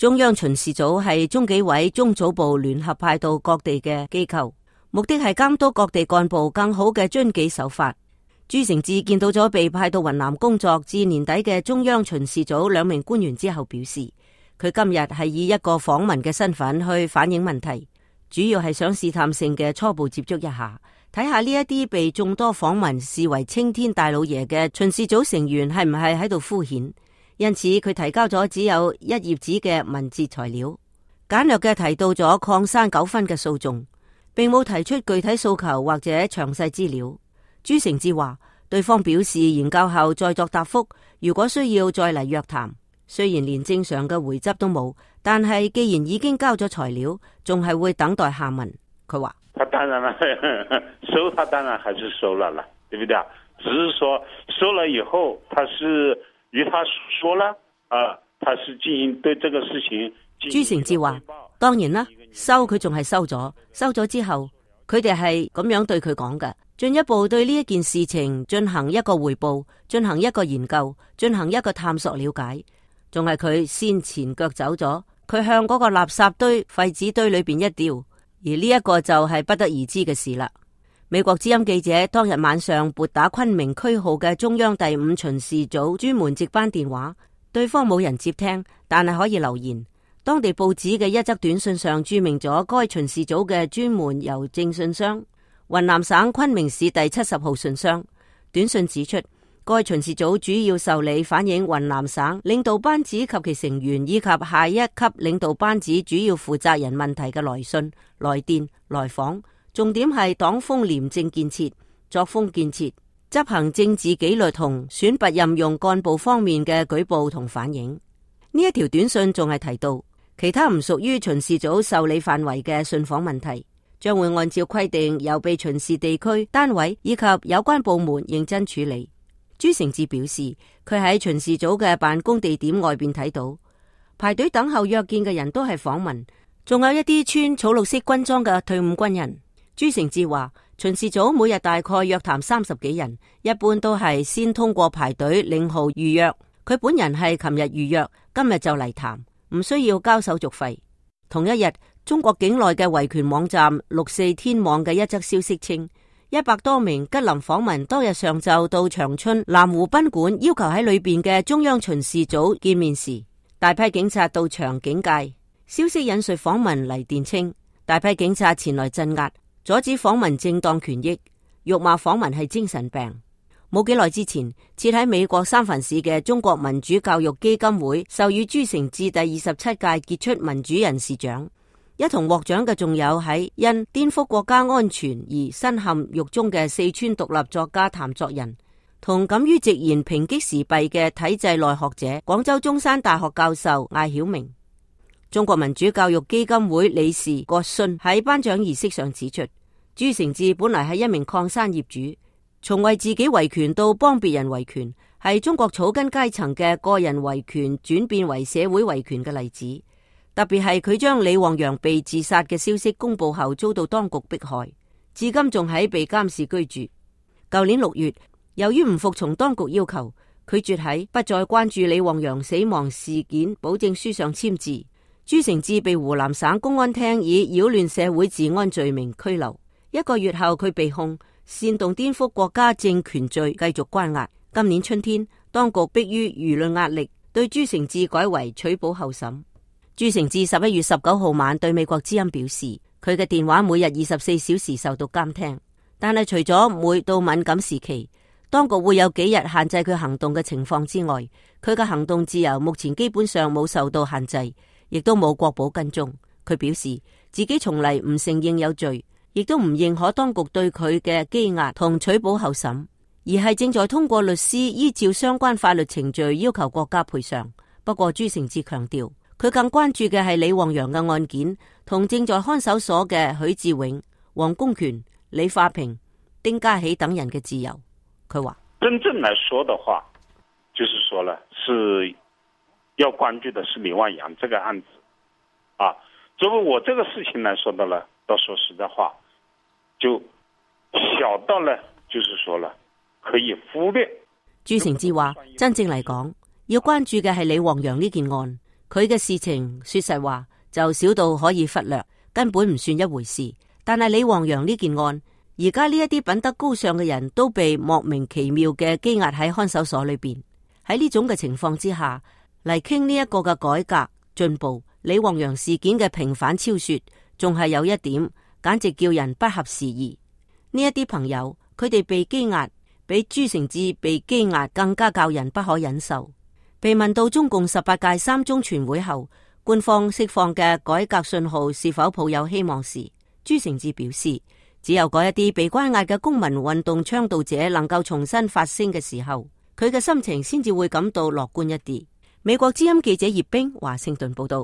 中央巡視組係中紀委中組部聯合派到各地嘅機構，目的係監督各地幹部更好嘅遵紀守法。朱成志見到咗被派到雲南工作至年底嘅中央巡視組2名官員之後，表示佢今日係以一個訪問嘅身份去反映問題，主要係想試探性嘅初步接觸一下，睇下呢一啲被眾多訪民視為青天大老爺嘅巡視組成員係唔係喺度敷衍。因此佢提交咗只有1頁紙嘅文字材料，簡略嘅提到咗礦山糾紛嘅訴訟，並冇提出具體訴求或者詳細資料。朱成志話對方表示研究後再作答覆，如果需要再嚟約談。雖然連正常嘅回執都冇，但係既然已經交咗材料，仲係會等待下文。佢話他當然了，收他當然還是收了，對不對？只是說收了以後，他是與他說了他是進行對這個事情。朱成志話當然啦，收佢仲係收咗，收咗之後佢哋係咁樣對佢講嘅，進一步對呢一件事情進行一個匯報，進行一個研究，進行一個探索了解，仲係佢先前腳走咗，佢向嗰個垃圾堆廢紙堆裏邊一掉，而呢一個就係不得而知嘅事啦。美國之音記者當日晚上撥打昆明區號嘅中央第5巡視組專門值班電話，對方冇人接聽，但係可以留言。當地報紙嘅一則短信上注明咗該巡視組嘅專門郵政信箱雲南省昆明市第70號信箱。短信指出，該巡視組主要受理反映雲南省領導班子及其成員以及下一級領導班子主要負責人問題嘅來信、來電、來訪，重點係黨風廉政建設、作風建設、執行政治紀律同選拔任用幹部方面嘅舉報同反映。呢一條短信仲係提到，其他唔屬於巡視組受理範圍嘅信訪問題，將會按照規定由被巡視地區單位以及有關部門認真處理。朱成志表示，佢喺巡視組嘅辦公地點外邊睇到排隊等候約見嘅人都係訪民，仲有一啲穿草綠色軍裝嘅退伍軍人。朱成志話，巡視組每日大概約談30幾人，一般都係先通過排隊領號預約。佢本人係琴日預約，今日就嚟談，唔需要交手續費。同一日，中國境內嘅維權網站64天網嘅一則消息稱，100多名吉林訪民當日上晝到長春南湖賓館，要求喺裏邊嘅中央巡視組見面時，大批警察到場警戒。消息引述訪民嚟電稱，大批警察前來鎮壓，阻止訪民正當權益，辱罵訪民係精神病。冇幾耐之前，設喺美國三藩市嘅中國民主教育基金會授予朱成志第27屆傑出民主人士獎。一同獲獎嘅仲有喺因顛覆國家安全而身陷獄中嘅四川獨立作家譚作人，同敢於直言抨擊時弊嘅體制內學者廣州中山大學教授艾曉明。中國民主教育基金會理事郭信喺頒獎儀式上指出，朱成志本來係一名礦山業主，從為自己維權到幫別人維權，係中國草根階層嘅個人維權轉變為社會維權嘅例子。特別係佢將李旺陽被自殺嘅消息公布後，遭到當局迫害，至今仲喺被監視居住。舊年6月，由於唔服從當局要求，拒絕喺不再關注李旺陽死亡事件保證書上簽字，朱成志被湖南省公安廳以擾亂社會治安罪名拘留。1個月後，佢被控煽動顛覆國家政權罪，繼續關押。今年春天，當局迫於輿論壓力，對朱成志改為取保候審。朱成志11月19號晚對美國之音表示，佢嘅電話每日24小時受到監聽，但係除咗每到敏感時期，當局會有幾日限制佢行動嘅情況之外，佢嘅行動自由目前基本上冇受到限制，亦都冇國保跟蹤。佢表示自己從嚟唔承認有罪，亦都唔認可當局對佢嘅羈押同取保候審，而係正在通過律師依照相關法律程序要求國家賠償。不過朱成志強調，佢更關注嘅係李旺陽嘅案件同正在看守所嘅許志永、黃公權、李化平、丁家喜等人嘅自由。佢話真正來說的話，就是說了，是要關注的是李旺陽這個案子啊。作為我這個事情來說的了，到說實在話，就小到了，就是說了可以忽略。朱成志話，真正嚟講，要關注嘅係李旺陽呢件案。佢嘅事情說實話就少到可以忽略，根本唔算一回事。但係李旺陽呢件案，而家呢一啲品德高尚嘅人都被莫名其妙嘅羈押喺看守所裏邊。喺呢種嘅情況之下嚟傾呢一個嘅改革進步，李旺陽事件嘅平反超說，仲係有一點簡直叫人不合時宜。呢一啲朋友，佢哋被羈押比朱成志被羈押更加教人不可忍受。被問到中共18屆3中全會後官方釋放嘅改革信號是否抱有希望時，朱成志表示，只有嗰一啲被關押嘅公民運動倡導者能夠重新發聲嘅時候，佢嘅心情先至會感到樂觀一啲。美國之音記者葉冰華盛頓報道。